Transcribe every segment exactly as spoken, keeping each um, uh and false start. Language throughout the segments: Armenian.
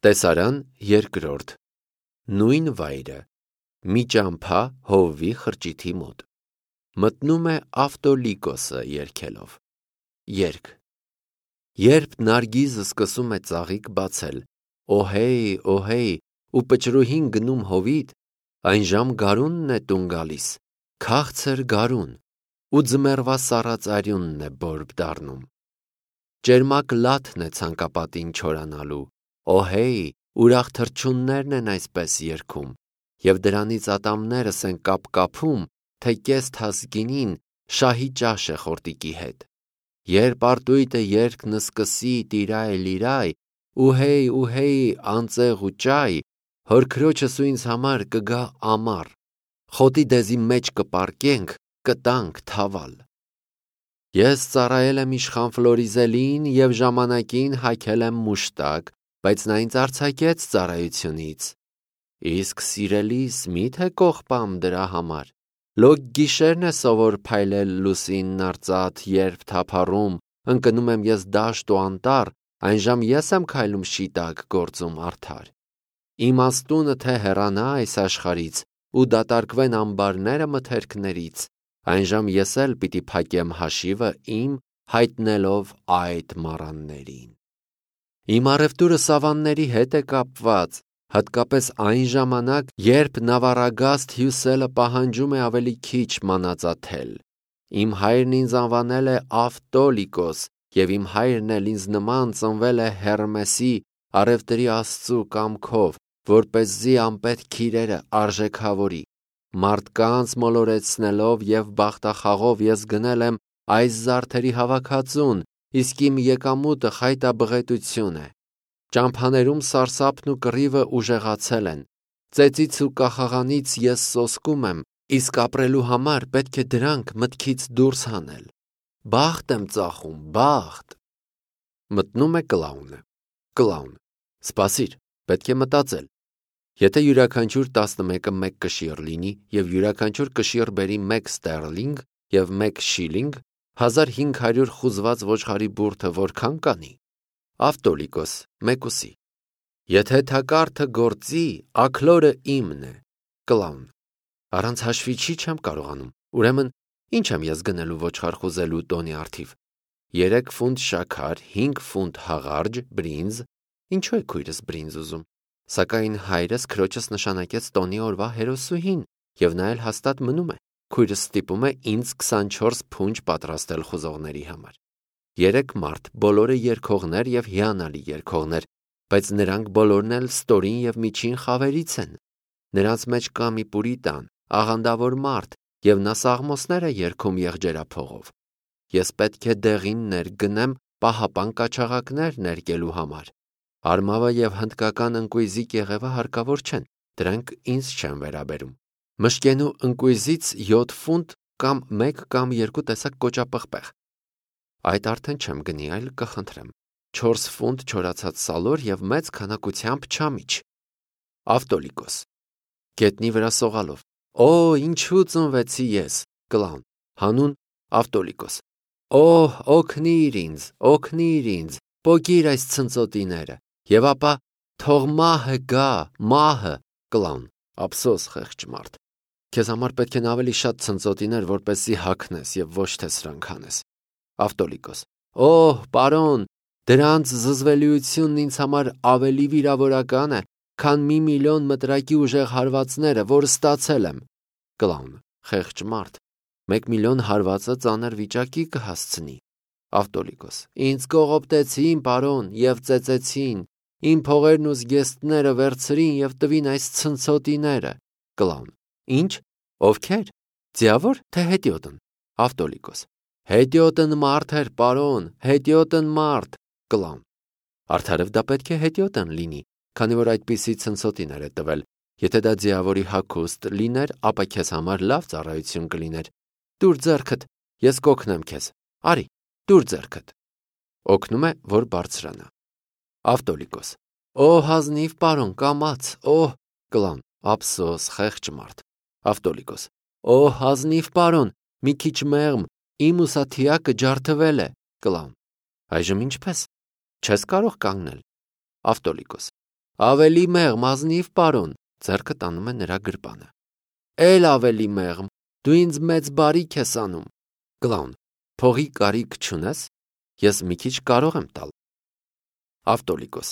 Տեսարան երկրորդ Նույն վայրը մի ճամփա հովվի խրճիթի մոտ մտնում է Ավտոլիկոսը երգելով երգ Երբ Նարգիզը սկսում է ծաղիկ բացել օհեյ օհեյ ու պճրուհին գնում հովիտ այն ժամ գարունն է տուն գալիս քաղցր գարուն ու ձմեռվա սառած արյունն է բորբ դառնում Ճերմակ լաթն է ցանկապատին չորանալու օհեյ ուրախ թռչուններն են այսպես երգում և դրանից ատամներս են կապկապում թե կես թասգինին շահի ճաշ է խորտիկի հետ Երբ արտույտը երգն սկսի տիրայ լիրայ ուհեյ ուհեյ անծեղ ու ճայ հոր քրոջս ու ինձ համար կգա ամառ խոտի դեզի մեջ կպառկենք կտանք թավալ Ես ծառայել եմ իշխան Ֆլորիզելին և ժամանակին հագել եմ մուշտակ, բայց նա ինձ արձակեց ծառայությունից։ Իսկ սիրելիս մի՞թե կողպամ դրա համար։ Լոկ գիշերն է սովոր փայլել լուսինն արծաթ, երբ թափառում, ընկնում եմ ես դաշտ ու անտառ, այն ժամ ես եմ քայլում շիտակ գործում արդար։ Իմաստունը թե հեռանա այս աշխարից ու դատարկվեն ամբարները մթերքներից, այն ժամ ես էլ պիտի փակեմ հաշիվը իմ հայտնելով այդ մառաններին։ Իմ առևտուրը սավանների հետ է կապված, հատկապես այն ժամանակ, երբ նավառագաստ հյուսելը պահանջում է ավելի քիչ մանածաթել։ Իմ հայրն ինձ անվանել է Ավտոլիկոս, և իմ հայրն էլ ինձ նման ծնվել է Հերմեսի առևտրի աստծու կամքով, որպեսզի անպետք քիրերը արժեքավորի։ Մարդկանց մոլորեցնելով և բախտախաղով ես գնել եմ այս զարդերի հավաքածուն, իսկ իմ եկամուտը խայտաբղետություն է։ Ճամփաներում սարսափն ու կռիվը ուժեղացել են։ Ծեծից ու կախաղանից ես սոսկում եմ, իսկ ապրելու համար պետք է դրանք մտքից դուրս հանել։ Բախտ եմ ծախում, բախտ։ Մտնում է կլաունը։ Կլաուն. Սպասիր, պետք է մտածել։ Եթե յուրաքանչյուր տասնմեկը մեկ կշիռ լինի և յուրաքանչյուր կշիռ բերի մեկ ստերլինգ և մեկ շիլինգ, հազար հինգ հարյուր խուզված ոչխարի բուրդը որքան կանի։ Ավտոլիկոս, մեկուսի. Եթե թակարդը գործի, աքլորը իմն է։ Կլաուն. Առանց հաշվի չի չեմ կարողանում, ուրեմն ինչ եմ ես գնելու ոչխար խուզելու տոնի առթիվ։ Երեք ֆունտ շաքար, հինգ ֆունտ հաղարջ, բրինձ, ինչու է քույրս բրինձ ուզում։ Սակայն հայրս քրոջս նշանակեց տոնի օրվա հերոսուհին, և նա էլ հաստատ մնում է։ Քույրս ստիպում է ինձ քսանչորս փունջ պատրաստել խուզողների համար։ Երեք մարդ, բոլորը երգողներ և հիանալի երգողներ, բայց նրանք բոլորն էլ ստորին և միջին խավերից են։ Նրանց մեջ կա մի պուրիտան, աղանդավոր մարդ, և նա սաղմոսներ է երգում եղջերափողով։ Ես պետք է դեղին ներգնեմ պահապան կաչաղակներ ներկելու համար։ Արմավը և հնդկական ընկույզի կեղևը հարկավոր չեն, դրանք ինձ չեն վերաբերում։ Մշկենու ընկույզից յոթ ֆունտ կամ մեկ կամ երկու տեսակ կոճապղպեղ։ Այդ արդեն չեմ գնի, այլ կխնդրեմ։ Չորս ֆունտ չորացած սալոր և մեծ քանակությամբ չամիչ։ Ավտոլիկոս. Գետնի վրա սողալով. Օ, ինչու ծնվեցի ես։ Կլաուն. Հանուն Ավտոլիկոս. Օհ, օգնիր ինձ, օգնիր ինձ, պոկիր այս ցնծոտիները, և ապա թող մահը գա, մահը։ Կլաուն. Ափսոս, խեղճ մարդ։ Քեզ համար պետք են ավելի շատ ցնծոտիներ, որպեսզի հագնես և ոչ թե սրանք անես։ Ավտոլիկոս. Օհ, պարոն, դրանց զզվելիությունն ինձ համար ավելի վիրավորական է, քան մի միլիոն մտրակի ուժեղ հարվածները, որ ստացել եմ։ Կլաուն. Խեղճ մարդ, մեկ միլիոն հարվածը ծանր վիճակի կհասցնի։ Ավտոլիկոս. Ինձ կողոպտեցին, պարոն, և ծեծեցին, իմ փողերն ու զգեստները վերցրին և տվին այս ցնցոտիները։ Կլաուն. Ինչ, ովքեր, ձիավոր թե հետիոտն։ Ավտոլիկոս. Հետիոտն մարդ էր, պարոն, հետիոտն մարդ։ Կլաուն. Արդարև դա պետք է հետիոտն լինի, քանի որ այդպիսի ցնցոտիներ է տվել։ Եթե դա ձիավորի հագուստ լիներ, ապա քեզ համար լավ ծառայություն կլիներ։ Տուր ձեռքդ, ես կօգնեմ քեզ։ Արի, տուր ձեռքդ։ Օգնում է, որ բարձրանա։ Ավտոլիկոս. Օ, հազնիվ, պարոն, կամաց, օհ։ Կլաուն. Ափսոս, խեղճ մարդ։ Ավտոլիկոս. Օ, հազնիվ, պարոն, մի քիչ մեղմ, իմ ուսաթիակը ջարդվել է։ Կլաուն. Այժմ ինչպես։ Չես կարող կանգնել։ Ավտոլիկոս. Ավելի մեղմ, ազնիվ պարոն, ձեռքը տանում է նրա գրպանը։ Էլ ավելի մեղմ, դու ինձ մեծ բարիք ես անում։ Կլաուն, փողի կարիք չունես, ես մի քիչ կարող եմ տալ։ Ավտոլիկոս,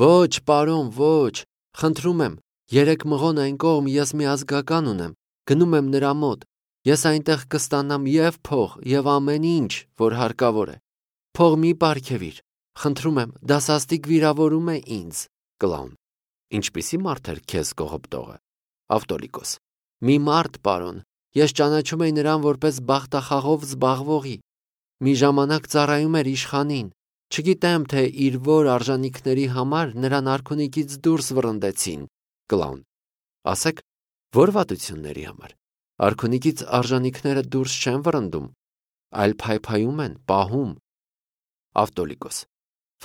ոչ, պարոն, ոչ, խնդրում եմ, երեք մղոն այն կողմ ես մի ազգական ունեմ, գնում եմ նրա մոտ, ես այնտեղ կստանամ և փող, և ամեն ինչ, որ հարկավոր է։ Փող մի պարգևիր, խնդրում եմ, դասաստիկ վիրավորում է ինձ։ Կլաուն, ինչպիսի մարդ էր քեզ կողոպտողը։ Ավտոլիկոս, մի մարդ, պարոն, ես ճանաչում էի նրան որպես բախտախաղով զբաղվողի։ Մի ժամանակ ծառայում էր իշխանին, չգիտեմ, թե իր որ արժանիքների համար նրան արքունիքից դուրս վռնդեցին։ Կլաուն, ասեք, որ վատությունների համար։ Արքունիքից արժանիքները դուրս չեն վռնդում, այլ փայփայում են, պահում։ Ավտոլիկոս,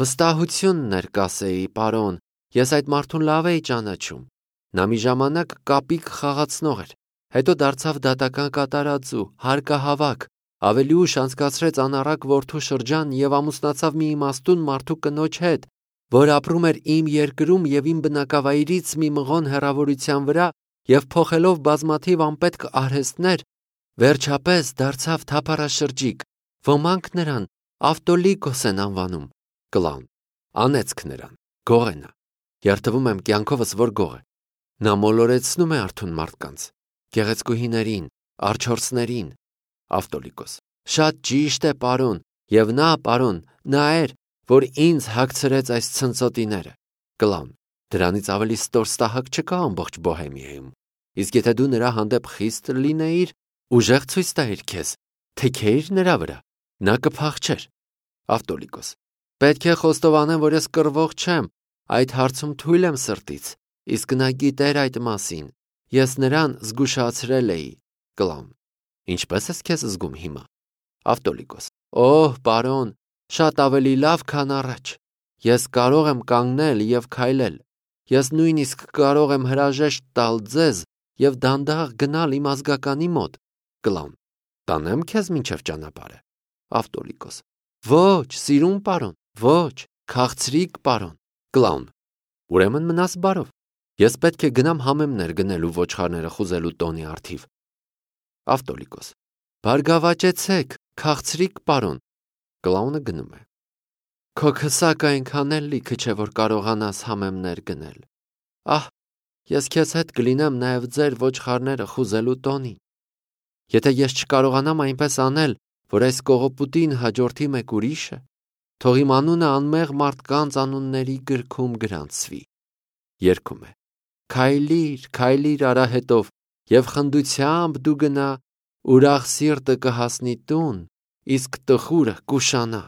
վստահությունն էր կասեի, պարոն, ես այդ մարդուն լավ էի ճանաչում։ Նա մի ժամանակ կապիկ խաղացնող էր, հետո դարձավ դատական կատարածու, հարկահավաք, ավելի ուշ անցկացրեց անառակ որդու շրջան և ամուսնացավ մի իմաստուն մարդու կնոջ հետ, որ ապրում էր իմ երկրում և իմ բնակավայրից մի մղոն հեռավորության վրա և փոխելով բազմաթիվ անպետք արհեստներ, վերջապես դարձավ թափառաշրջիկ, ոմանք նրան Ավտոլիկոս են անվանում։ Կլաուն, անեծք նրան, գող է նա, երդվում եմ կյանքովս, որ գող է։ Նա մոլորեցնում է արթուն մարդկանց, գեղեցկուհիներին, արջորցներին։ Ավտոլիկոս, շատ ճիշտ է, պարոն, և նա, պարոն, նա էր, որ ինձ հագցրեց այս ցնցոտիները։ Կլաուն, դրանից ավելի ստորստահակ չկա ամբողջ Բոհեմիայում։ Իսկ եթե դու նրա հանդեպ խիստ լինեիր, ուժեղ ցույց տայիր քեզ, թեքեիր նրա վրա, նա կփախչեր։ Ավտոլիկոս, պետք է խոստովանեմ, որ ես կռվող չեմ, այդ հարցում թույլ եմ սրտից, իսկ նա գիտեր այդ մասին, ես նրան զգուշացրել էի։ Կլաուն, ինչպե՞ս ես քեզ զգում հիմա։ Ավտոլիկոս, օհ, պարոն, շատ ավելի լավ, քան առաջ։ Ես կարող եմ կանգնել և քայլել։ Ես նույնիսկ կարող եմ հրաժեշտ տալ ձեզ և դանդաղ գնալ իմ ազգականի մոտ։ Կլաուն, տանեմ քեզ մինչև ճանապարհը։ Ավտոլիկոս, ոչ, սիրուն պարոն, ոչ, քաղցրիկ պարոն։ Կլաուն, ուրեմն մնաս բարով։ Ես պետք է գնամ համեմներ գնելու ոչխարները խուզելու տոնի առթիվ։ Ավտոլիկոս, բարգավաճեցեք, քաղցրիկ պարոն։ Կլաունը գնում է։ Քո քսակը այնքան էլ լիքը չէ, որ կարողանաս համեմներ գնել։ Ահ, ես քեզ հետ կլինեմ նաև ձեր ոչխարները խուզելու տոնին։ Եթե ես չկարողանամ այնպես անել, որ այս կողոպուտին հաջորդի մեկ ուրիշը, թող իմ անունը անմեղ մարդկանց անունների գրքում գրանցվի։ Երգում է. Քայլիր, քայլիր արահետով, և խնդությամբ դու գնա, ուրախ սիրտը կհասնի տուն, իսկ տխուրը կուշանա։